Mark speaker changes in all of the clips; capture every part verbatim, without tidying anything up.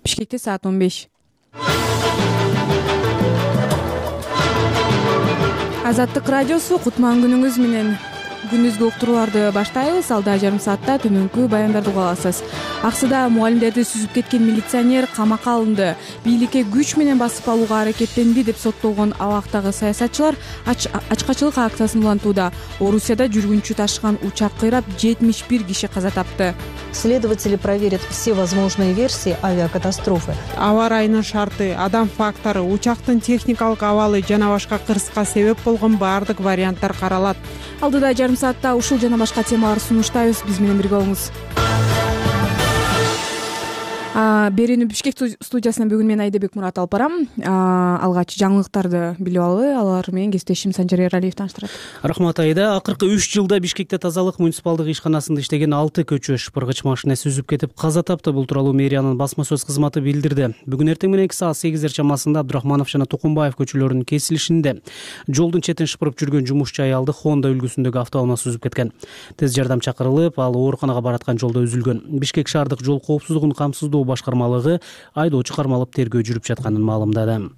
Speaker 1: Бишкекте саат он беш. Азаттык радиосу кутман күнүңүз менен. Күндүзгү уктурууларды баштайбыз. Алда жарым саатта түнүнкү баяндарды уга аласыз. Аксыда мугалимдерди сүзүп кеткен милиционер камакка алынды. Бийликке күч менен басып алууга аракеттенди деп соттолгон абактагы саясатчылар ачкачылык акциясын улантууда. Орусияда жүргүнчү ташыган учак кыйрап жетимиш бир киши каза тапты.
Speaker 2: Следователи проверят все возможные версии авиакатастрофы.
Speaker 3: Аба ырайынын шарты, адам фактору, учактын техникалык абалы жана башка кырсыкка себеп болгон баардык варианттар каралат.
Speaker 1: Алдыда жарым саатта ушул жана башка темалар сунуштайбыз. Биз менен бирге болуңуз. Берүүнү Бишкек студиясынан бүгүн мен Айдебек Мурат алып барам. Алгач жаңылыктарды билип алалы. Алар менен кесиптешим Санжар Эралиев тааныштырат.
Speaker 4: Рахмат Айда. Акыркы үч жылда Бишкекте тазалык муниципалдык ишканасында иштеген алты көчө шыпыргыч машина сүзүп кетип каза тапты. Бул тууралуу мэриянын басма сөз кызматы билдирди. Бүгүн эртең мененки саат сегиздер чамасында Абдрахманов жана Тукумбаев көчөлөрүнүн кесилишинде жолдун четин шыпырып жүргөн жумушчу аялды Honda үлгүсүндөгү автоунаа сүзүп кеткен. Тез жардам чакырылып, ал ооруканага бараткан жолдо үзүлгөн. Бишкек шаардык жол коопсуздугун камсыздоо башкармалыгы айдоочу кармалып тергөө жүрүп жатканын маалымдады.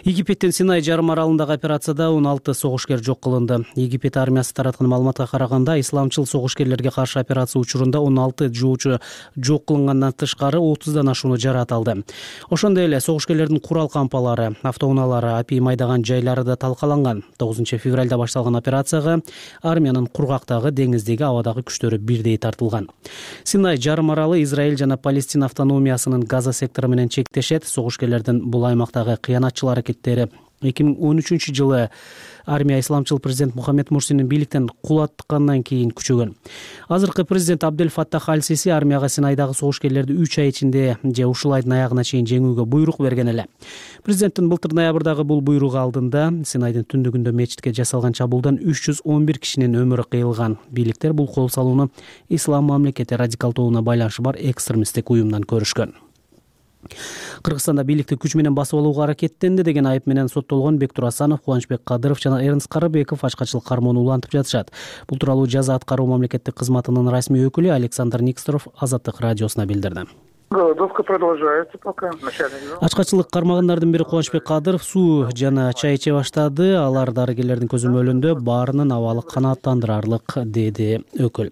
Speaker 4: Египеттин Синай жарым аралындагы операцияда он алты согушкер жок кылынды. Египет армиясы тараткан маалыматка караганда, исламчыл согушкерлерге каршы операция учурунда он алты жоочу жок кылынгандан тышкары отуздан ашууну жараат алды. Ошондой эле согушкерлердин курал кампалары, автоунаалары, апий майдаган жайлары да талкаланган. тогузунчу февралда башталган операцияга армиянын кургактагы, деңиздеги, абадагы күчтөрү бирдей тартылган. Синай жарым аралы Израиль жана Палестина автономиясынын Газа сектору менен чектешет. Согушкерлердин бул аймактагы кыянатчыл аракеттери эки миң он үчүнчү жылы армия исламчыл президент Мухаммед Мурсинин бийликтен кулаткандан кийин күчөгөн. Азыркы президент Абдель Фаттах Аль-Сиси армияга Синайдагы согушкерлерди үч ай ичинде же ушул айдын аягына чейин жеңүүгө буйрук берген эле. Президенттин былтыр ноябрдагы бул буйругу алдында Синайдын түндүгүндө мечитке жасалган чабуулдан үч жүз он бир кишинин өмүрү кыйылган. Бийликтер бул кол салууну ислам мамлекети радикал тобуна байланышы бар экстремисттик уюмдан көрүшкөн. Кыргызстанда бийликти күч менен басып алууга аракеттенди деген айып менен соттолгон Бектур Асанов, Кубанычбек Кадыров жана Эрнст Карыбеков ачкачылык кармоону улантып жатышат. Бул тууралуу жаза аткаруу мамлекеттик кызматынын расмий өкүлү Александр Никсторов Азаттык радиосуна билдирди.
Speaker 5: Голодовка продолжается пока.
Speaker 4: Ачкачылык кармагандардын бири Кубанычбек Кадыров суу жана чай иче баштады. Алар дарыгерлердин көзөмөлүндө баарынын абалы канааттандырарлык, деди өкүл.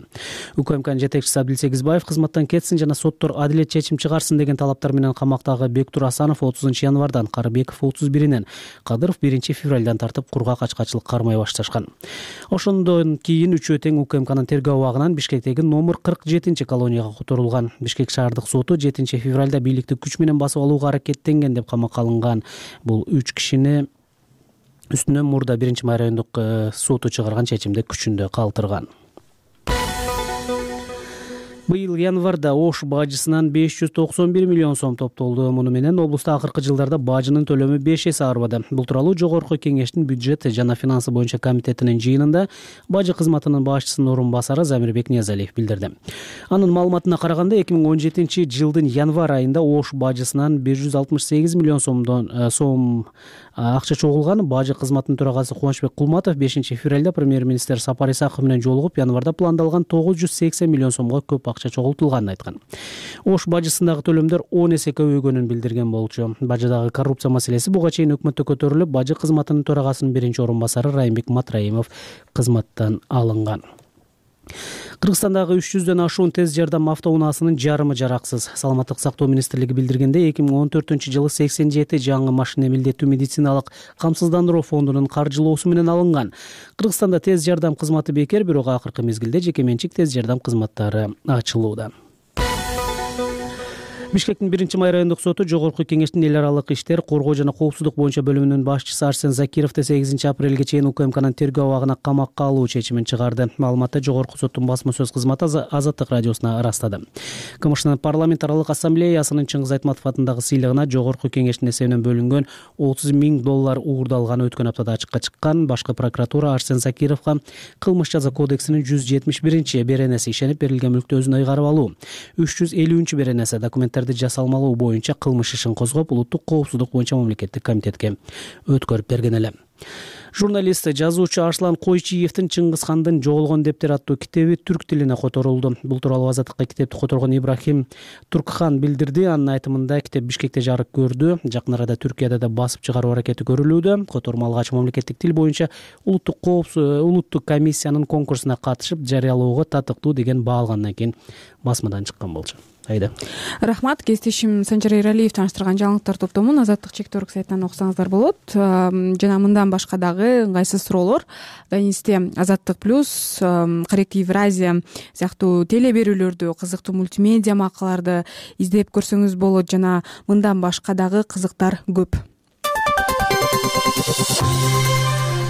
Speaker 4: УКМКнын жетекчиси Абдил Сегизбаев кызматтан кетсин жана соттор адилет чечим чыгарсын деген талаптар менен камактагы Бектур Асанов отузунчу январдан, Карыбеков отуз биринен, Кадыров биринчи февралдан тартып кургак ачкачылык кармай башташкан. Ошондон кийин үчөө тең УКМКнын тергөө абагынан Бишкектеги номер кырк жетинчи колонияга которулган. Бишкек шаардык соту жетинчи февралда бийликти күч менен басып алууга аракеттенген деп камакка алынган. Бул үч кишини үстүнөн мурда биринчи май райондук соту чыгарган чечимди күчүндө калтырган. Быйыл январда Ош бажысынан беш жүз токсон бир миллион сом топтолду. Муну менен облуста акыркы жылдарда бажынын төлөмү беш эсе арбады. Бул тууралуу Жогорку Кеңештин бюджет жана финансы боюнча комитетинин жыйынында бажы кызматынын башчысынын орун басары Замирбек Ниязалиев билдирди. Анын маалыматына караганда, эки миң он жетинчи жылдын январ айында Ош бажысынан бир жүз алтымыш сегиз миллион сомдон сом акча чогулган. Бажы кызматынын төрагасы Кубанычбек Кулматов бешинчи февралда премьер-министр Сапар Исаков менен жолугуп, январда пландалган тогуз жүз сексен миллион сомго көп акча чогултулганын айткан. Ош бажысындагы төлөмдөр он эсе көбөйгөнүн билдирген болчу. Бажыдагы коррупция маселеси буга чейин өкмөттө көтөрүлүп, бажы кызматынын төрагасынын биринчи орун басары Райымбек Матраимов кызматтан алынган. Кыргызстандагы үч жүздөн ашуун тез жардам автоунаасынын жарымы жараксыз. Саламаттык сактоо министрлиги билдиргендей, эки миң он төртүнчү жылы сексен жети жаңы машина милдеттүү медициналык камсыздандыруу фондунун каржылоосу менен алынган. Кыргызстанда тез жардам кызматы бекер, бирок акыркы мезгилде жеке менчик тез жардам кызматтары ачылууда. Бишкектин биринчи май райондук соту Жогорку Кеңештин эл аралык иштер, коргоо жана коопсуздук боюнча бөлүмүнүн башчысы Арсен Закировду сегизинчи апрелге чейин УКМКнын тергөө абагына камакка алуу чечимин чыгарды. Маалыматты Жогорку соттун басма сөз кызматы Азаттык радиосуна ырастады. КМШнын парламент аралык ассамблеясынын Чыңгыз Айтматов атындагы сыйлыгына Жогорку Кеңештин эсебинен бөлүнгөн отуз миң доллар уурдалганы өткөн аптада ачыкка чыккан. Башкы прокуратура Арсен Закировго кылмыш жаза кодексинин жүз жетимиш биринчи беренеси ишенип берилген мүлктү өзүнө ыйгарып алуу, үч жүз элүүнчү беренеси документтерди жасалмалоо боюнча кылмыш ишин козгоп, улуттук коопсуздук боюнча мамлекеттик комитетке өткөрүп берген эле. Журналист, жазуучу Арслан Койчиевдин Чыңгыз хандын жоголгон дептер аттуу китеби түрк тилине которулду. Бул тууралуу Азаттыкка китепти которгон Ибрахим Туркхан билдирди. Анын айтымында китеп Бишкекте жарык көрдү. Жакын арада Түркияда да басып чыгаруу аракети көрүлүүдө. Которма алгач мамлекеттик тил боюнча улуттук коопсуз улуттук комиссиянын конкурсуна катышып жарыялоого татыктуу деген баа алгандан кийин басмадан чыккан болчу. Айда.
Speaker 1: Рахмат. Кесиптешим Санжар Эралиев тааныштырган жаңылыктар топтомун Азаттык чектөрүк сайтынан окусаңыздар болот. Жана мындан башка дагы ыңгайсыз суроолор Дайнисте Азаттык плюс, Карек Евразия сыяктуу теле берүүлөрдү, кызыктуу мультимедиа макалаларды издеп көрсөңүз болот. Жана мындан башка дагы кызыктар көп.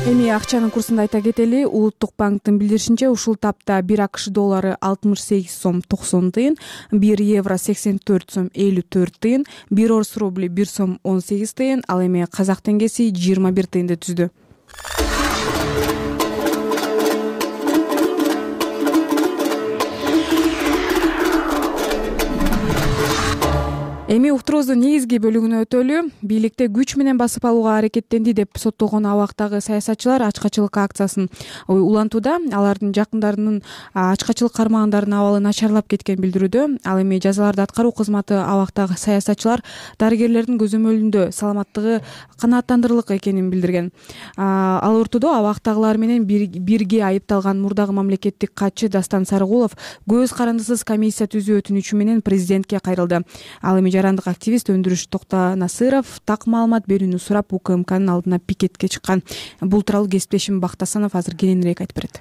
Speaker 1: Эми акчанын курсун айта кетели. Улуттук банктын билдиришинче ушул тапта бир АКШ доллары алтымыш сегиз сом токсон тыйын, бир евро сексен төрт сом элүү төрт тыйын, бир орус рубли бир сом он сегиз тыйын, ал эми казак теңгеси жыйырма бир тыйынды түздү. Эми уктуруубуздун негизги бөлүгүнө өтөлү. Бийликте күч менен басып алууга аракеттенди деп соттолгон абактагы саясатчылар ачкачылык акциясын улантууда. Алардын жакындарынын ачкачылык кармагандардын абалы начарлап кеткен билдирүүдө. Ал эми жазаларды аткаруу кызматы абактагы саясатчылар дарыгерлердин көзөмөлүндө саламаттыгы канааттандырырлык экенин билдирген. Ал ортодо абактагылар менен бирге айыпталган мурдагы мамлекеттик катчы Дастан Сарыгулов көз карандысыз комиссия түзүү өтүнүчү менен президентке кайрылды. Ал эми жарандык активист Өндүрүш Токтонасыров так маалымат берүүнү сурап УКМКнын алдына пикетке чыккан. Бул тууралуу кесиптешим Бактасанов азыр кененирээк айтып берет.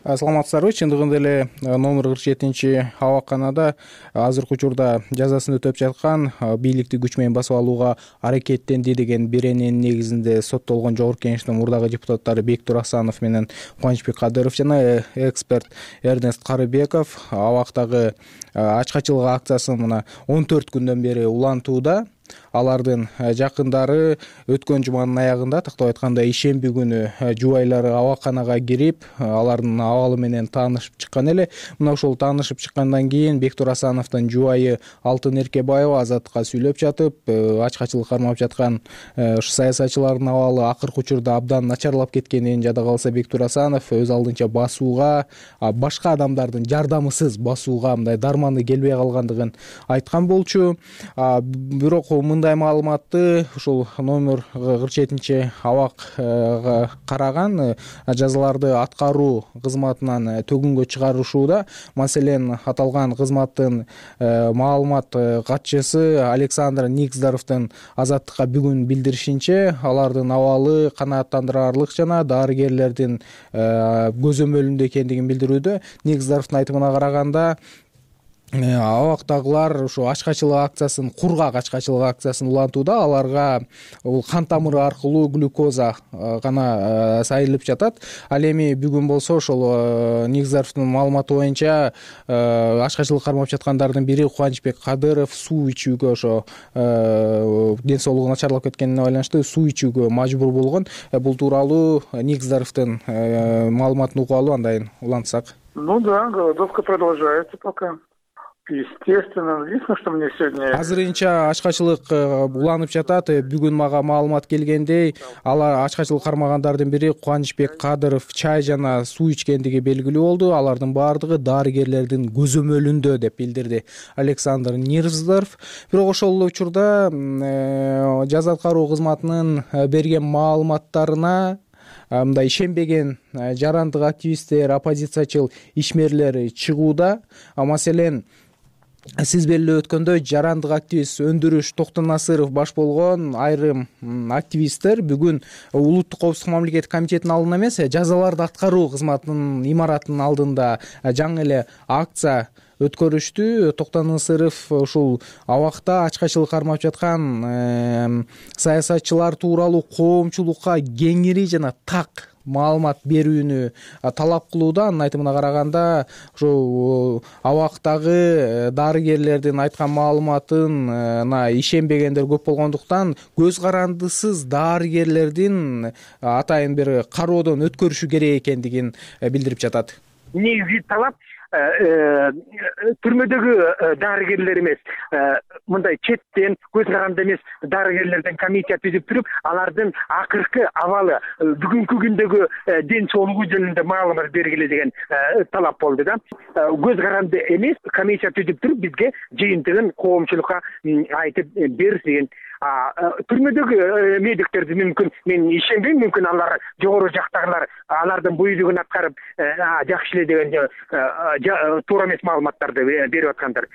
Speaker 6: Саламатсыздарбы? Чындыгында эле номер кырк жетинчи абакканада азыркы учурда жазасын өтөп жаткан бийликти күч менен басып алууга аракеттенди деген берененин негизинде соттолгон Жогорку Кеңештин мурдагы депутаттары Бектур Асанов менен Кубанычбек Кадыров жана эксперт Эрнест Карыбеков абактагы ачкачылык акциясын мына он төрт күндөн бери улантууда. Алардын жакындары өткөн жуманын аягында, тактап айтканда ишемби күнү жубайлары абакканага кирип, алардын абалы менен таанышып чыккан эле. Мына ошол таанышып чыккандан кийин Бектур Асановдун жубайы Алтын Эркебаева Азаттыкка сүйлөп жатып, ачкачылык кармап жаткан ушу саясатчылардын абалы акыркы учурда абдан начарлап кеткенин, жада калса Бектур Асанов өз алдынча басууга, башка адамдардын жардамысыз басууга мындай дарманы келбей калгандыгын айткан болчу. Бирок мындай маалыматты ушул номер кырк жетинчи абакка караган жазаларды аткаруу кызматынан төгүнгө чыгарышууда. Маселен, аталган кызматтын маалымат катчысы Александр Никздаровдун Азаттыкка бүгүн билдиришинче, алардын абалы канааттандырарлык жана дарыгерлердин көзөмөлүндө экендигин билдирүүдө. Никздаровдун айтымына караганда, абактагылар ушу ачкачылык акциясын, кургак ачкачылык акциясын улантууда. Аларга бул кан тамыры аркылуу глюкоза гана сайылып жатат. Ал эми бүгүн болсо ошол Никздаровдун маалыматы боюнча ачкачылык кармап жаткандардын бири Кубанычбек Кадыров суу ичүүгө, ошо ден соолугу начарлап кеткенине байланыштуу суу ичүүгө мажбур болгон. Бул тууралуу Никздаровдун маалыматын угуп алуу, андан улантсак.
Speaker 5: Ну да, голодовка продолжается пока. Естественно, единственное, что мне сегодня...
Speaker 6: Азырынча ачкачылык уланып жатат. Бүгүн мага маалымат келгендей, алар ачкачылык кармагандардын бири Кубанычбек Кадыров чай жана суу ичкендиги белгилүү болду. Алардын баардыгы дарыгерлердин көзөмөлүндө деп билдирди Александр Никздаров. Бирок ошол учурда жаза аткаруу кызматынын берген маалыматтарына мындай ишенбеген жарандык активисттер, оппозициячыл ишмерлер чыгууда. Маселен, сиз белгилеп өткөндөй, жарандык активист Өндүрүш Токтонасыров баш болгон айрым активисттер бүгүн Улуттук коопсуздук мамлекеттик комитетинин алдында эмес, жазаларды аткаруу кызматынын имаратынын алдында жаңы эле акция өткөрүштү. Токтонасыров ушул абакта ачкачылык кармап жаткан саясатчылар тууралуу коомчулукка кеңири жана так маалымат берүүнү талап кылууда. Анын айтымына караганда, ошо абактагы дарыгерлердин айткан маалыматына ишенбегендер көп болгондуктан көз карандысыз дарыгерлердин атайын бир кароодон өткөрүшү керек экендигин билдирип жатат.
Speaker 7: Негизи талап
Speaker 5: түрмөдөгү дарыгерлер эмес, мындай четтен көз каранды эмес дарыгерлерден комиссия түзүп туруп, алардын акыркы абалы, бүгүнкү күндөгү ден соолугу жөнүндө маалымат бергиле деген талап болду да. Көз каранды эмес комиссия түзүп туруп бизге жыйынтыгын коомчулукка айтып берс деген. Түрмөдөгү медиктерди мүмкүн мен ишенбейм, мүмкүн алар жогору жактагылар алардын буйругун аткарып жакшы эле деген туура эмес маалыматтарды берип аткандар.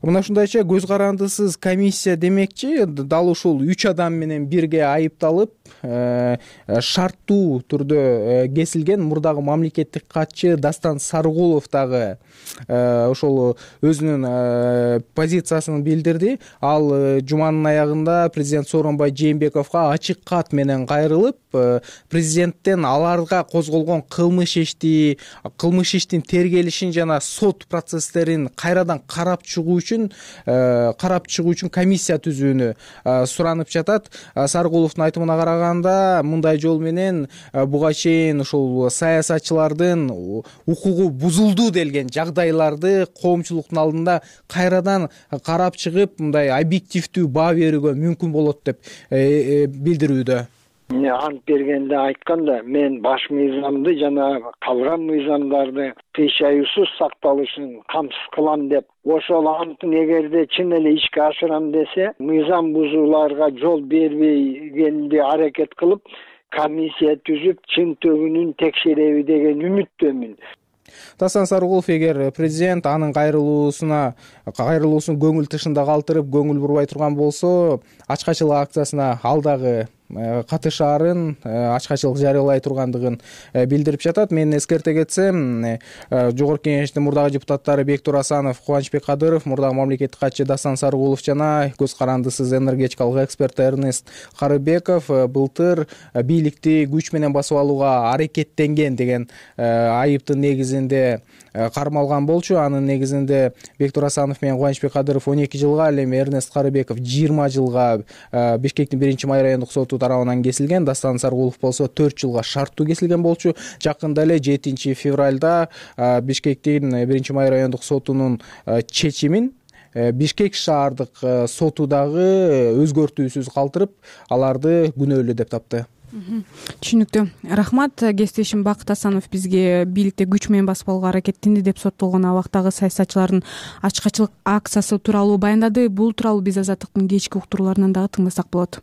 Speaker 6: Мына ушундайча көз карандысыз комиссия демекчи дал ушул үч адам менен бирге айыпталып, шарттуу түрдө кесилген мурдагы мамлекеттик катчы Дастан Сарыгулов дагы ошол өзүнүн позициясын билдирди. Ал жуманын аягында президент Сооронбай Жээнбековго ачык кат менен кайрылып, президенттен аларга козголгон кылмыш ишти, кылмыш иштин тергелишин жана сот процесстерин кайрадан карап чыгуу үчүн карап чыгуу үчүн комиссия түзүүнү суранып жатат. Сарыгуловдун айтымына караганда, мындай жол менен буга чейин ушул саясатчылардын укугу бузулду делген жагдайларды коомчулуктун алдында кайрадан карап чыгып, мындай объективдүү баа берүүгө мүмкүн болот деп билдирүүдө.
Speaker 7: Ант бергенде айтканда, мен баш мыйзамды жана калган мыйзамдарды тыйшаюусуз сакталышын камсыз кылам деп, ошол антын эгерде чын эле ишке ашырам десе, мыйзам бузууларга жол бербегенди аракет кылып, комиссия түзүп, чын төгүнүн текшереби деген үмүттөмүн.
Speaker 6: Дастан Сарыгулов эгер президент анын кайрылуусуна кайрылуусун көңүл тышында калтырып, көңүл бурбай турган болсо, ачкачылык акциясына ал дагы катышаарын, ачкачылык жарыялай тургандыгын билдирип жатат. Мен эскерте кетсем, Жогорку Кеңештин мурдагы депутаттары Бектур Асанов, Кубанычбек Кадыров, мурдагы мамлекеттик катчы Дастан Сарыгулов жана көз карандысыз энергетикалык эксперт Эрнест Карыбеков былтыр бийликти күч менен басып алууга аракеттенген деген айыптын негизинде кармалган болчу. Анын негизинде Бектур Асанов менен Кубанычбек Кадыров он эки жылга, ал эми Эрнест Карыбеков жыйырма жылга Бишкектин биринчи май райондук соту тарабынан кесилген. Дастан Сарыгулов болсо төрт жылга шарттуу кесилген болчу. Жакында эле жетинчи февралда Бишкектин биринчи май райондук сотунун чечимин Бишкек шаардык соту дагы өзгөртүүсүз калтырып, аларды күнөөлүү деп тапты.
Speaker 1: Түшүнүктүү. Рахмат. Кесиптешим Бакыт Асанов бизге бийликте күч менен басып алууга аракеттенди деп соттолгон абактагы саясатчылардын ачкачылык акциясы тууралуу баяндады. Бул тууралуу биз Азаттыктын кечки уктурууларынан дагы тыңдасак болот.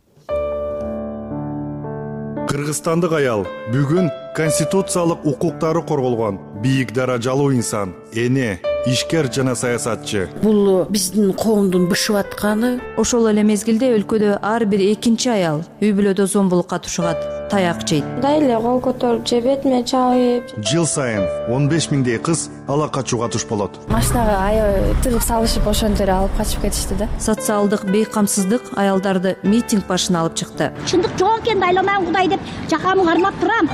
Speaker 8: Кыргызстандык аял бүгүн конституциялык укуктары корголгон бийик даражалуу инсан, эне, ишкер жана саясатчы.
Speaker 9: Бул биздин коомдун бышып атканы.
Speaker 2: Ошол эле мезгилде өлкөдө ар бир экинчи аял үй бүлөдө зомбулукка тушугат, таяк жейт.
Speaker 10: Мындай эле кол көтөрүп же бетиме чалып.
Speaker 8: Жыл сайын он беш миңдей кыз ала качууга туш болот.
Speaker 10: Машинага аябай тыгып салышып, ошондо эле алып качып кетишти да.
Speaker 2: Социалдык бейкамсыздык аялдарды митинг башына алып чыкты.
Speaker 11: Чындык жок экенин айламайм Кудай деп жакамды кармап турам.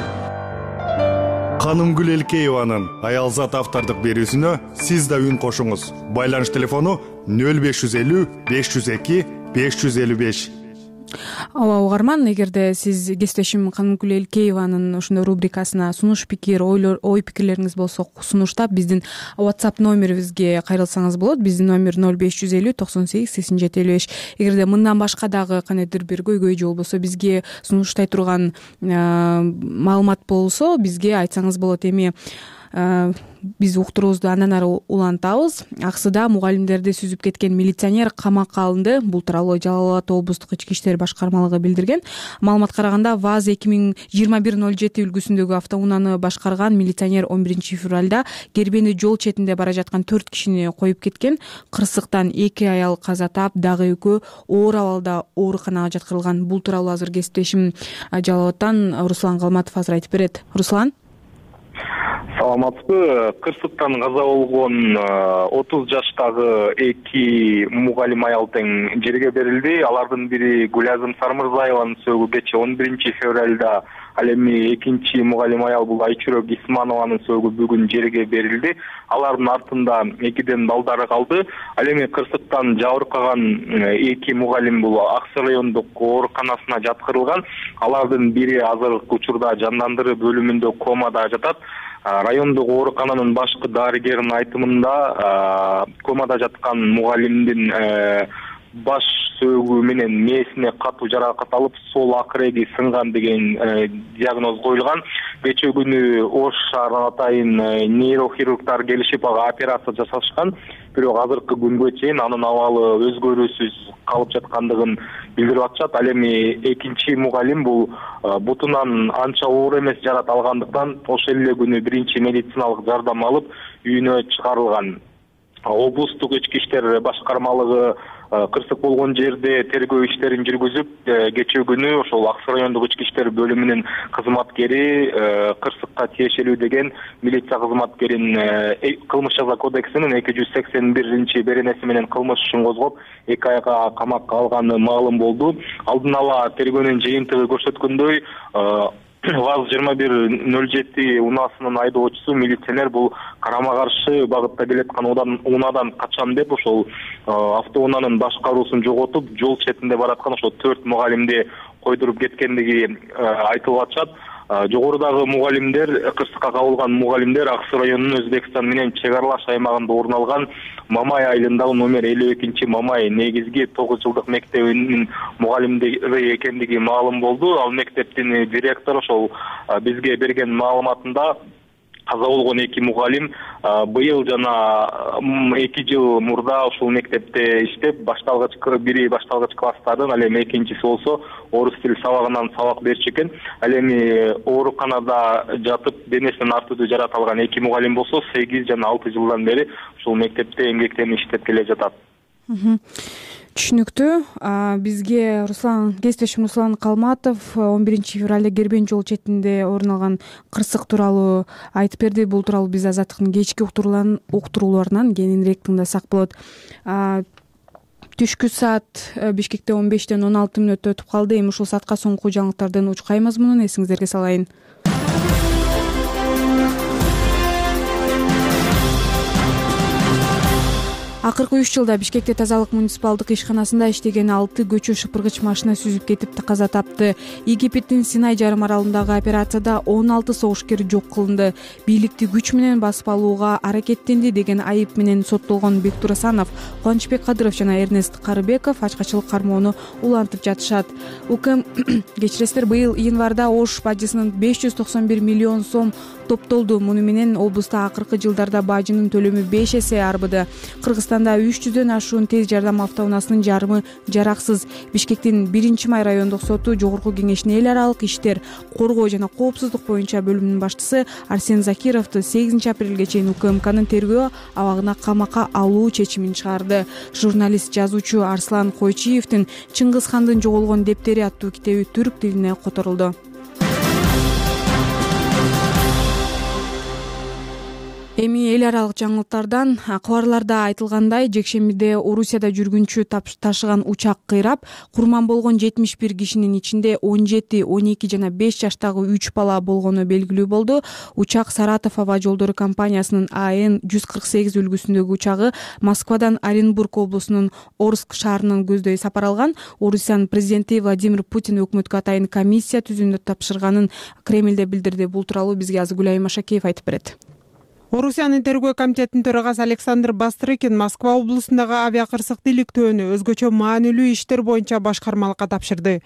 Speaker 8: Канымгүл Элкееванын Аялзат автордук берүүсүнө сиз да үн кошуңуз. Байланыш телефону нөл беш жүз элүү беш жүз эки беш жүз элүү беш.
Speaker 1: Ооба угарман, эгерде сиз кесиптешим Канымгүл Элкееванын ушундай рубрикасына сунуш пикир, ой пикирлериңиз болсо сунуштап биздин WhatsApp номерибизге кайрылсаңыз болот. Биздин номер нөл беш жүз элүү токсон сегиз сексен жети элүү беш. Эгерде мындан башка дагы кандайдыр бир көйгөй же болбосо бизге сунуштай турган маалымат болсо, бизге айтсаңыз болот. Эми биз уктуруубузду андан ары улантабыз. Аксыда мугалимдерди сүзүп кеткен милиционер камакка алынды. Бул тууралуу Жалал Абад облустук ички иштер башкармалыгы билдирген. Маалыматка караганда ВАЗ эки миң жыйырма бир ноль жети үлгүсүндөгү автоунааны башкарган милиционер он биринчи февралда Кербени жол четинде бара жаткан төрт кишини коюп кеткен. Кырсыктан эки аял каза таап, дагы экөө оор абалда ооруканага жаткырылган. Бул тууралуу азыр кесиптешим Жалал Абадтан Руслан Калматов азыр айтып берет. Руслан.
Speaker 12: Саламатсызбы. Кырсыктан каза болгон отуз жаштагы эки мугалим аял тең жерге берилди. Алардын бири Гүлазым Сармырзаеванын сөөгү кечээ он биринчи февралда, ал эми экинчи мугалим аял бул Айчүрөк Исманованын сөөгү бүгүн жерге берилди. Алардын артында экиден балдары калды. Ал эми кырсыктан жабыркаган эки мугалим бул Аксы райондук ооруканасына жаткырылган. Алардын бири азыркы учурда жандандыруу бөлүмүндө комада жатат. райондук оорукананын башкы дарыгеринин айтымында комада жаткан мугалимдин баш сөөгү менен мээсине катуу жаракат алып сол акыреги сынган деген диагноз коюлган. Кечээ күнү Ош шаарынан атайын нейрохирургдар келишип ага операция жасашкан. Бирок азыркы күнгө чейин анын абалы өзгөрүүсүз калып жаткандыгын билдирип атышат. Ал эми экинчи мугалим бул бутунан анча оор эмес жарат алгандыктан ошол эле күнү биринчи медициналык жардам алып үйүнө чыгарылган. Облустук ички иштер башкармалыгы кырсык болгон жерде тергөө иштерин жүргүзүп, кечээ күнү ошол Ак Суу райондук ички иштер бөлүмүнүн кызматкери кырсыкка тиешелүү деген милиция кызматкерин кылмыш жаза кодексинин эки жүз сексен биринчи беренеси менен кылмыш ишин козгоп, эки айга камакка алганы маалым болду. Алдын ала тергөөнүн жыйынтыгы көрсөткөндөй, ВАЗ жыйырма бир нөл жети унаасынын айдоочусу милиционер бул карама каршы багытта келаткан унаадан качам деп ошол автоунаанын башкаруусун жоготуп, жол четинде бараткан ошол төрт мугалимди койдуруп кеткендиги айтылып атышат. Жогорудагы мугалимдер, кырсыкка кабылган мугалимдер Ак Суу районунун Өзбекстан менен чек аралаш аймагында орун алган Мамай айылындагы номер элүү экинчи Мамай негизги тогуз жылдык мектебинин мугалимдери экендиги маалым болду. Ал мектептин директору ошол бизге берген маалыматында каза болгон эки мугалим быйыл жана эки жыл мурда ушул мектепте иштеп, башталгыч бири башталгыч класстардын, ал эми экинчиси болсо орус тили сабагынан сабак берчү экен. Ал эми ооруканада жатып денесинен ар түрдүү жарат алган эки мугалим болсо сегиз жана алты жылдан бери ушул мектепте эмгектенип иштеп келе жатат.
Speaker 1: Түшүнүктүү. Бизге Руслан кесиптешим Руслан Калматов он биринчи февралда Кербен жол четинде орун алган кырсык тууралуу айтып берди. Бул тууралуу биз Азаттыктын кечки уктурууларынан кийинирээк тыңдасак болот. Түшкү саат Бишкекте он бештен он алты мүнөттө өтүп калды. Эми ушул саатка соңку жаңылыктардын учкай мазмунун эсиңиздерге салайын. Акыркы үч жылда Бишкекте тазалык муниципалдык ишканасында иштеген алты көчө шыпыргыч машина сүзүп кетип каза тапты. Египеттин Синай жарым аралындагы операцияда он алты согушкер жок кылынды. Бийликти күч менен басып алууга аракеттенди деген айып менен соттолгон Бектур Асанов, Кубанычбек Кадыров жана Эрнест Карыбеков ачкачылык кармоону улантып жатышат. УКМ кечиресиздер, быйыл январда Ош бажысынын беш жүз токсон бир миллион сом топтолду. Муну менен облуста акыркы жылдарда бажынын төлөмү беш эсе арбыды. Кыргызстанда үч жүздөн ашуун тез жардам автоунаасынын жарымы жараксыз. Бишкектин биринчи май райондук соту жогорку кеңешинин эл аралык иштер, коргоо жана коопсуздук боюнча бөлүмүнүн башчысы Арсен Закировду сегизинчи апрелге чейин УКМКнын тергөө абагына камакка алуу чечимин чыгарды. Журналист, жазуучу Арслан Койчиевдин Чыңгыз хандын жоголгон дептери аттуу китеби түрк тилине которулду. Эми эл аралык жаңылыктардан кабарларда айтылгандай, жекшембиде Орусияда жүргүнчү ташыган учак кыйрап, курман болгон жетимиш бир кишинин ичинде он жети, он эки жана беш жаштагы үч бала болгону белгилүү болду. Учак Саратов аба жолдору компаниясынын А Н жүз кырк сегиз үлгүсүндөгү учагы Москвадан Оренбург облусунун Орск шаарынан көздөй сапар алган. Орусиянын президенти Владимир Путин өкмөткө атайын комиссия түзүүнү тапшырганын Кремлде билдирди. Бул тууралуу бизге азыр Гүлай Машакеев айтып берет.
Speaker 3: Орусиянын тергөө комитетинин төрагасы Александр Бастрыкин Москва облусундагы авиакырсыкты иликтөөнү өзгөчө маанилүү иштер боюнча башкармалыкка тапшырды.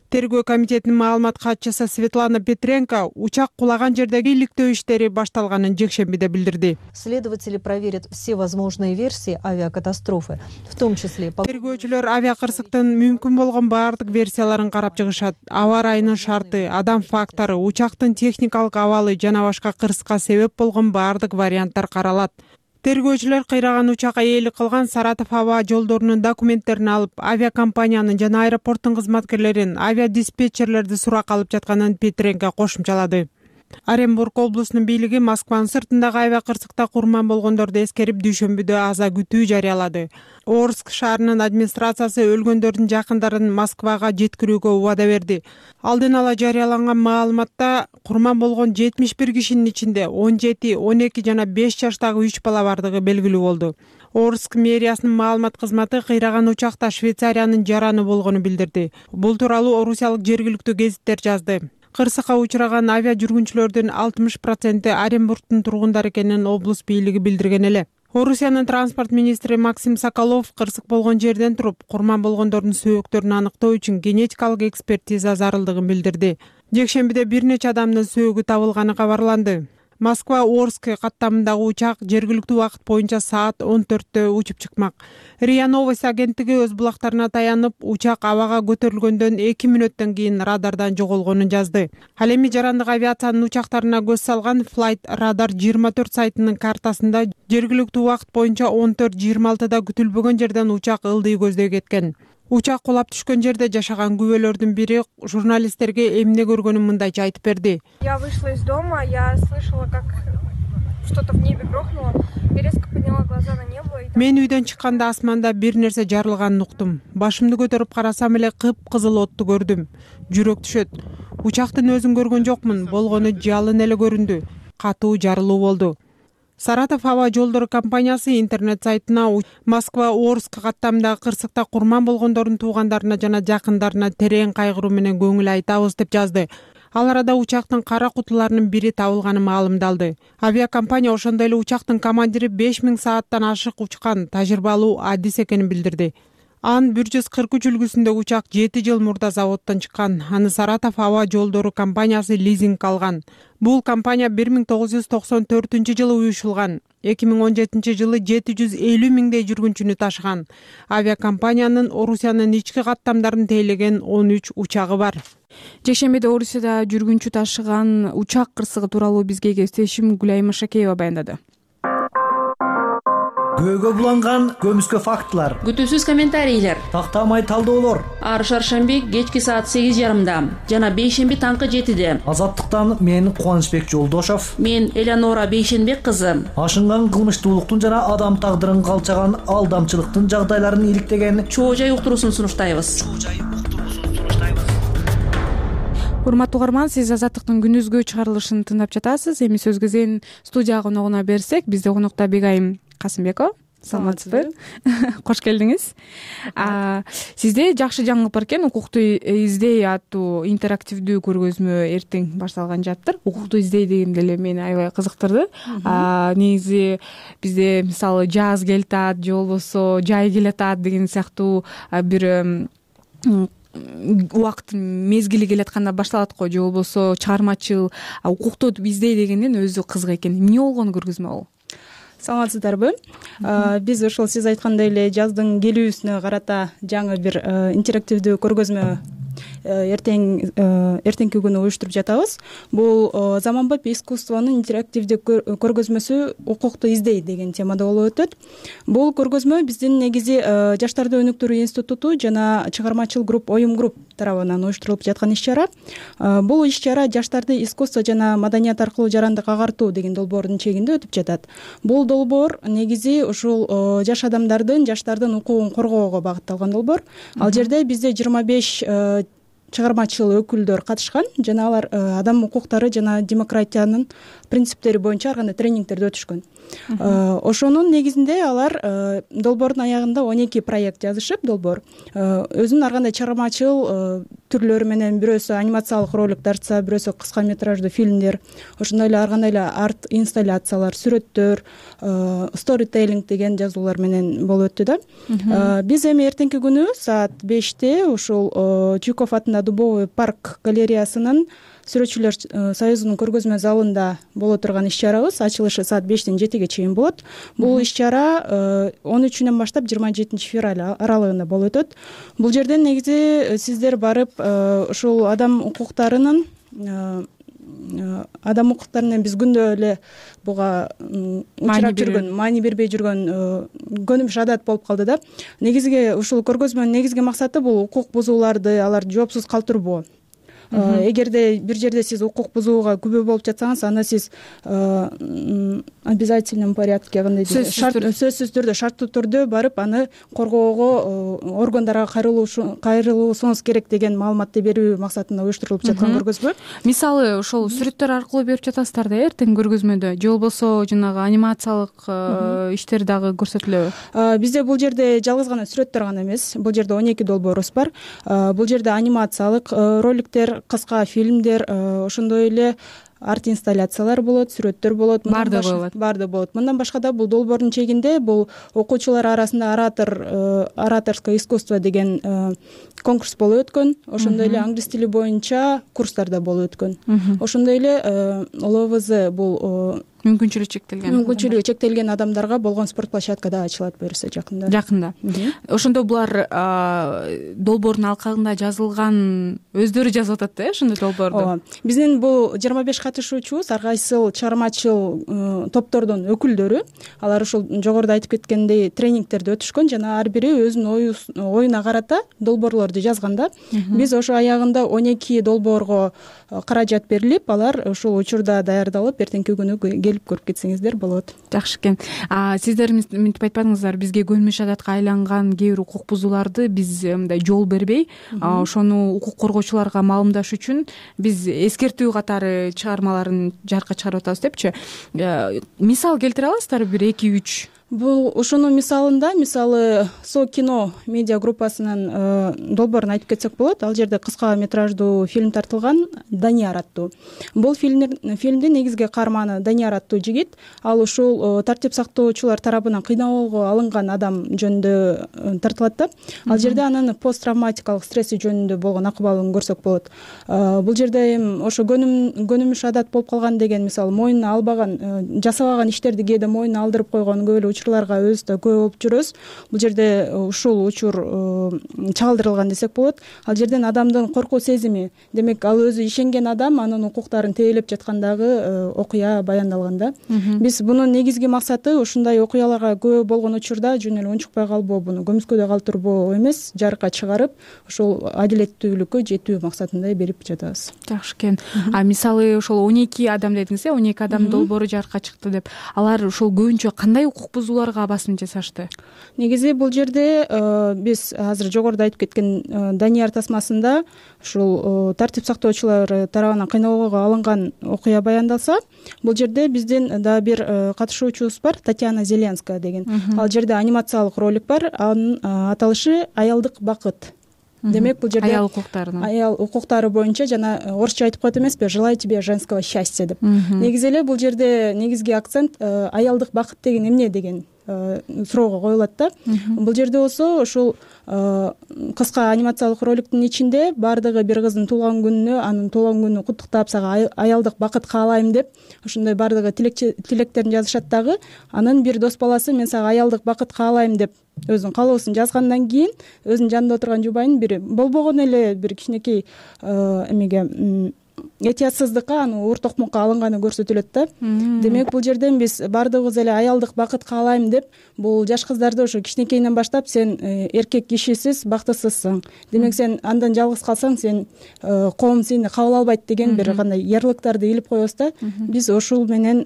Speaker 3: Тергөө комитетинин маалымат катчысы Светлана Петренко учак кулаган жердеги иликтөө иштери башталганын жекшембиде билдирди.
Speaker 13: Следователи проверят все возможные версии авиакатастрофы, в том числе...
Speaker 3: Тергөөчүлөр авиакырсыктын мүмкүн болгон баардык версияларын карап чыгышат. Аба ырайынын шарты, адам фактору, учактын техникалык абалы жана башка кырсыкка себеп болгон баардык варианттар каралат. Тергөөчүлөр кыйраган учак ээлик кылган Саратов аба жолдорунун документтерин алып, авиакомпаниянын жана аэропорттун кызматкерлерин, авиадиспетчерлерди суракка алып жатканын Петренко кошумчалады. Оренбург облусунун бийлиги Москванын сыртындагы авиакырсыкта курман болгондорду эскерип дүйшөмбүдө аза күтүү жарыялады. Орск шаарынын администрациясы өлгөндөрдүн жакындарын Москвага жеткирүүгө убада берди. Алдын ала жарыяланган маалыматта курман болгон жетимиш бир кишинин ичинде он жети, он эки жана беш жаштагы үч бала бардыгы белгилүү болду. Орск мэриясынын маалымат кызматы кыйраган учакта Швейцариянын жараны болгону билдирди. Бул тууралуу орусиялык жергиликтүү гезиттер жазды. Кырсыкка учураган авиа жүргүнчүлөрдүн алтымыш проценти Оренбургдун тургундары экенин облус бийлиги билдирген эле. Орусиянын транспорт министри Максим Соколов кырсык болгон жерден туруп курман болгондордун сөөктөрүн аныктоо үчүн генетикалык экспертиза зарылдыгын билдирди. Жекшембиде бир нече адамдын сөөгү табылганы кабарланды. Москва Орск каттамындагы учак жергиликтүү убакыт боюнча саат он төрттө учуп чыкмак. РИА Новости агенттиги өз булактарына таянып, учак абага көтөрүлгөндөн эки мүнөттөн кийин радардан жоголгонун жазды. Ал эми жарандык авиациянын учактарына көз салган Flight Radar жыйырма төрт сайтынын картасында жергиликтүү убакыт боюнча он төрт жыйырма алтыда күтүлбөгөн жерден учак ылдый көздөй кеткен. Учак кулап түшкөн жерде жашаган күбөлөрдүн бири журналисттерге эмне көргөнүн мындайча айтып берди.
Speaker 14: Я вышла из дома, я слышала, как что-то в небе грохнуло. Я резко подняла глаза на небо.
Speaker 3: Мен үйдөн чыкканда асманда бир нерсе жарылганын уктум. Башымды көтөрүп карасам эле кып-кызыл отту көрдүм. Жүрөк түшөт. Учактын өзүн көргөн жокмун, болгону жалын эле көрүндү. Катуу жарылуу болду. Саратов аба жолдору компаниясы интернет сайтына Москва Орск каттамындагы кырсыкта курман болгондордун туугандарына жана жакындарына терең кайгыруу менен көңүл айтабыз деп жазды. Ал арада учактын кара кутуларынын бири табылганы маалымдалды. Авиакомпания ошондой эле учактын командири беш миң сааттан ашык учкан тажрыйбалуу адис экенин билдирди. Анын бир жүз кырк үч үлгүсүндөгү учак жети жыл мурда заводдон чыккан. Аны Саратов аба жолдору компаниясы лизинг алган. Бул компания бир миң тогуз жүз токсон төртүнчү жылы уюшулган. эки миң он жетинчи жылы жети жүз элүү миңдей жүргүнчүнү ташыган. Авиакомпаниянын Орусиянын ички каттамдарын тейлеген он үч учагы бар.
Speaker 1: Жекшембиде Орусияда жүргүнчү ташыган учак кырсыгы тууралуу бизге кесиптешим Гүлай Машакеева баяндады.
Speaker 15: Көөгө буланган көмүскө фактылар,
Speaker 16: күтүүсүз комментарийлер,
Speaker 15: тактамай талдоолор.
Speaker 16: Ар шаршемби кечки саат сегиз жарымда жана бейшемби таңкы жетиде.
Speaker 15: Азаттыктан мен Кубанычбек Жолдошов,
Speaker 16: мен Элеонора Бейшенбек кызы.
Speaker 15: Ашынган кылмыштуулуктун жана адам тагдырын калчаган алдамчылыктын жагдайларын иликтеген
Speaker 16: чоо жай уктуруусун сунуштайбыз.
Speaker 1: Урматтуу угарман, сиз Азаттыктын күнүзгү чыгарылышын тыңдап жатасыз. Эми сөз кезин студия коногуна берсек, бизде конокто Бегайым Касымбекова. Саламатсызбы? Кош келдиңиз. Сизде жакшы жаңылык бар экен. Укукту издей аттуу интерактивдүү көргөзмө эртең башталган жатыр. Укукту издей дегенде эле мени аябай кызыктырды. Негизи бизде мисалы жаз келатат, же болбосо жай келатат деген сыяктуу бир убакыттын мезгили келатканда башталат го, же болбосо чыгармачыл укукту издей дегенден өзү кызык экен. Эмне болгон көргөзмө бул?
Speaker 17: Саламатсыздарбы? Биз ошол сиз айткандай эле жаздын келүүсүнө карата жаңы бир интерактивдүү көргөзмө эртең эртеңки күнү уюштуруп жатабыз. Бул заманбап искусствонун интерактивдүү көргөзмөсү укукту издей деген темада болуп өтөт. Бул көргөзмө биздин негизи Жаштарды өнүктүрүү институту жана чыгармачыл групп Оюм групп тарабынан уюштурулуп жаткан иш-чара. Бул иш-чара жаштарды искусство жана маданият аркылуу жарандык агартуу деген долбоордун чегинде өтүп жатат. Бул долбоор негизи ушул жаш адамдардын, жаштардын укугун коргоого багытталган долбоор. Ал жерде бизде жыйырма беш чыгармачыл өкүлдөр катышкан жана алар адам укуктары жана демократиянын принциптери боюнча ар кандай тренингтерди өтүшкөн. Ошонун негизинде алар долбоордун аягында он эки проект жазышып, долбоор өзүнүн ар кандай чыгармачыл түрлөрү менен, бирөөсү анимациялык ролик тартса, бирөөсү кыска метраждуу фильмдер, ошондой эле ар кандай эле арт инсталляциялар, сүрөттөр, сторителлинг деген жазуулар менен болуп өттү да. Биз эми эртеңки күнү саат беште ушул Чуйков атындагы Дубовый парк галереясынын Сүрөтчүлөр союзунун көргөзмө залында боло турган иш-чарабыз. Ачылышы саат бештен жетиге чейин болот. Бул иш-чара он үчүнөн баштап жыйырма жетинчи февраль аралыгында болуп өтөт. Бул жерден негизи сиздер барып ушул адам укуктарынын адам укуктарынан биз күндө эле буга учурап жүргөн, маани бербей жүргөн көнүмүш адат болуп калды да. Негизги ушул көргөзмөнүн негизги максаты бул укук бузууларды, аларды жоопсуз калтырбоо. Эгерде бир жерде сиз укук бузууга күбө болуп жатсаңыз, анда сиз обязательном порядке, кандай дейт, сөзсүз түрдө, шарттуу түрдө барып аны коргоого органдарга кайрылуусуңуз керек деген маалыматты берүү максатында уюштурулуп жаткан көргөзмө.
Speaker 1: Мисалы, ошол сүрөттөр аркылуу берип жатасыздар да эртең көргөзмөдө, же болбосо жанагы анимациялык иштер дагы көрсөтүлөбү?
Speaker 17: Бизде бул жерде жалгыз гана сүрөттөр гана эмес, бул жерде он эки долбоорубуз бар. Бул жерде анимациялык роликтер, бар, кыска фильмдер, ошондой эле арт инсталляциялар болот, сүрөттөр болот,
Speaker 1: баардыгы болот.
Speaker 17: Баардыгы болот. Мындан башка да бул долбоордун чегинде бул окуучулар арасында оратор ораторское искусство деген конкурс болуп өткөн. Ошондой эле англис тили боюнча курстар да болуп өткөн. Ошондой эле ЛВЗ бул
Speaker 1: мүмкүнчүлүгү чектелген
Speaker 17: мүмкүнчүлүгү чектелген адамдарга болгон спорт площадка да ачылат буюрса жакында.
Speaker 1: Жакында. Ошондо булар долбоордун алкагында жазылган өздөрү жазып атат да, ошондой долбоорду.
Speaker 17: Ооба. Биздин бул жыйырма беш катышуучубуз ар кайсыл чыгармачыл топтордун өкүлдөрү. Алар ушул жогоруда айтып кеткендей тренингтерди өтүшкөн жана ар бири өзүнүн оюна карата долбоорлорду жазган да. Биз ошо аягында он эки долбоорго каражат берилип, алар ушул учурда даярдалып, эртеңки күнү келип көрүп кетсеңиздер болот.
Speaker 1: Жакшы экен. Сиздер мынтип айтпадыңыздар, бизге көлмөш адатка айланган кээ бир укук бузууларды биз мындай жол бербей, ошону укук коргоочуларга маалымдаш үчүн биз эскертүү катары чыгармаларын жарыкка чыгарып атабыз депчи. Мисал келтире аласыздарбы, бир эки үч?
Speaker 17: Бул ушунун мисалында, мисалы Со кино медиа группасынын долбоорун айтып кетсек болот. Ал жерде кыска метраждуу фильм тартылган, Данияр аттуу. Бул фильмдин негизги каарманы Данияр аттуу жигит. Ал ушул тартип сактоочулар тарабынан кыйноого алынган адам жөнүндө тартылат да. Ал жерде анын посттравматикалык стресси жөнүндө болгон акыбалын көрсөк болот. Бул жерде эми ошо көнүмүш адат болуп калган деген, мисалы мойнуна албаган, жасабаган иштерди кээде мойнуна алдырып койгон көп эле учурларга өзүбүз да көп болуп жүрөбүз. Бул жерде ушул учур чагылдырылган десек болот. Ал жерден адамдын коркуу сезими, демек ал өзү ишенген адам анын укуктарын тейлеп жаткандагы окуя баяндалган да. Биз бунун негизги максаты ушундай окуяларга көп болгон учурда жөн эле унчукпай калбоо, буну көмүскөдө калтырбоо эмес, жарыкка чыгарып ушул адилеттүүлүккө жетүү максатында берип жатабыз.
Speaker 1: Жакшы экен. А мисалы ошол он эки адам дедиңиз, э, он эки адам долбоору жарыкка чыкты деп. Алар ушул көбүнчө кандай укук бузууларга басым жасашты?
Speaker 17: Негизи бул жерде биз азыр жогоруда айтып кеткен Данияр тасмасында ушул тартип сактоочулар тарабынан кыйноого алынган окуя баяндалса, бул жерде биздин да бир катышуучубуз бар, Татьяна Зеленская деген. Ал жерде анимациялык ролик бар, анын аталышы аялдык бакыт. Демек бул жерде
Speaker 1: аял укуктарынын
Speaker 17: аял укуктары боюнча жана орусча айтып коет эмеспи, желаю тебе женского счастья деп. Негизи эле бул жерде негизги акцент аялдык бакыт деген эмне деген суроого коюлат да. Бул жерде болсо ушул кыска анимациялык роликтин ичинде баардыгы бир кыздын туулган күнүнө, анын туулган күнүн куттуктап, сага аялдык бакыт каалайм деп ошондой баардыгы тилектерин жазышат дагы. Анын бир дос баласы мен сага аялдык бакыт каалайм деп өзүнүн каалоосун жазгандан кийин өзүнүн жанында отурган жубайын бир болбогон эле бир кичинекей эмеге этиятсыздыкка, аны уур токмокко алынганы көрсөтүлөт да. Демек бул жерден биз баардыгыбыз эле аялдык бакыт каалайм деп, бул жаш кыздарды ошо кичинекейинен баштап сен эркек кишисиз бактысызсың, демек сен андан жалгыз калсаң сен коом сени кабыл албайт деген бир кандай ярлыктарды илип коебуз да. Биз ошол менен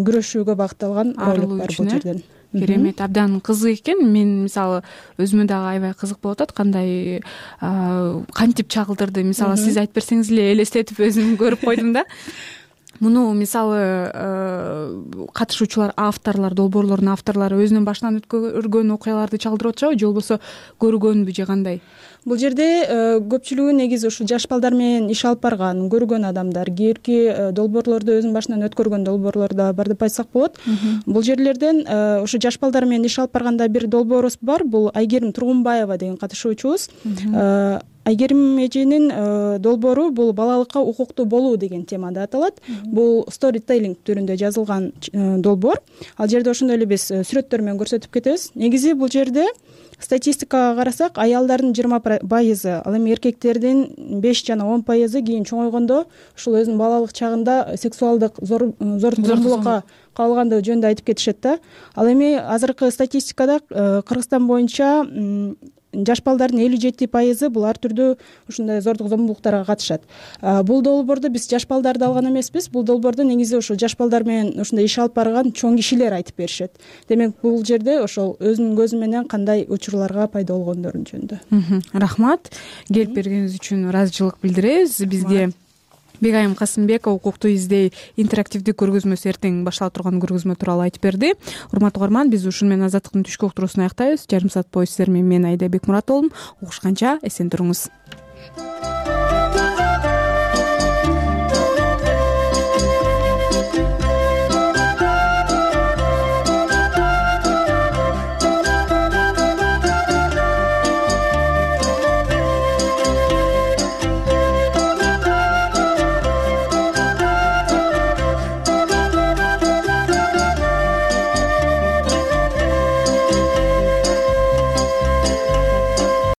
Speaker 17: күрөшүүгө багытталган ролик бар бул жерден.
Speaker 1: Керемет, абдан кызык экен. Мен мисалы өзүмө дагы аябай кызык болуп атат, кандай кантип чагылдырды. Мисалы сиз айтып берсеңиз эле элестетип өзүм көрүп койдум да. Муну мисалы катышуучулар, авторлор, долбоорлордун авторлору өзүнүн башынан өткөргөн окуяларды чагылдырып атышабы же болбосо көргөнбү же кандай?
Speaker 17: Бул жерде көпчүлүгү негизи ушу жаш балдар менен иш алып барган, көргөн адамдар, кээбирки долбоорлорду өзүнүн башынан өткөргөн долбоорлор да бар деп айтсак болот. Бул жерлерден ушу жаш балдар менен иш алып барганда бир долбоорубуз бар, бул Айгерим Тургунбаева деген катышуучубуз. Айгерим эженин долбоору бул балалыкка укуктуу болуу деген темада аталат. Бул storytelling түрүндө жазылган долбоор. Ал жерде ошондой эле биз сүрөттөр менен көрсөтүп кетебиз. Негизи бул жерде статистикага карасак, аялдардын жыйырма пайызы, ал эми эркектердин беш жана он пайызы кийин чоңойгондо ушул өзүнүн балалык чагында сексуалдык зордук зомбулукка кабылгандыгы жөнүндө айтып кетишет да. Ал эми азыркы статистикада Кыргызстан боюнча жаш балдардын элүү жети пайызы бул ар түрдүү ушундай зордук зомбулуктарга катышат. Бул долбоорду биз жаш балдарды алган эмеспиз. Бул долбоорду негизи ошол жаш балдар менен ушундай иш алып барган чоң кишилер айтып беришет. Демек бул жерде ошол өзүнүн көзү менен кандай учурларга пайда болгондорун жөнүндө.
Speaker 1: Рахмат. Келип бергениңиз үчүн ыраазычылык билдиребиз. Бизге Бегайым Касымбекова укукту издей интерактивдүү көргөзмөсү эртең баштала турган көргөзмө тууралуу айтып берди. Урматтуу угарман, биз ушун менен Азаттыктын түшкү уктуруусун аяктайбыз. Жарым саат бою сиздер менен мен Айда Бекмурат болдум. Угушканча эсен туруңуз.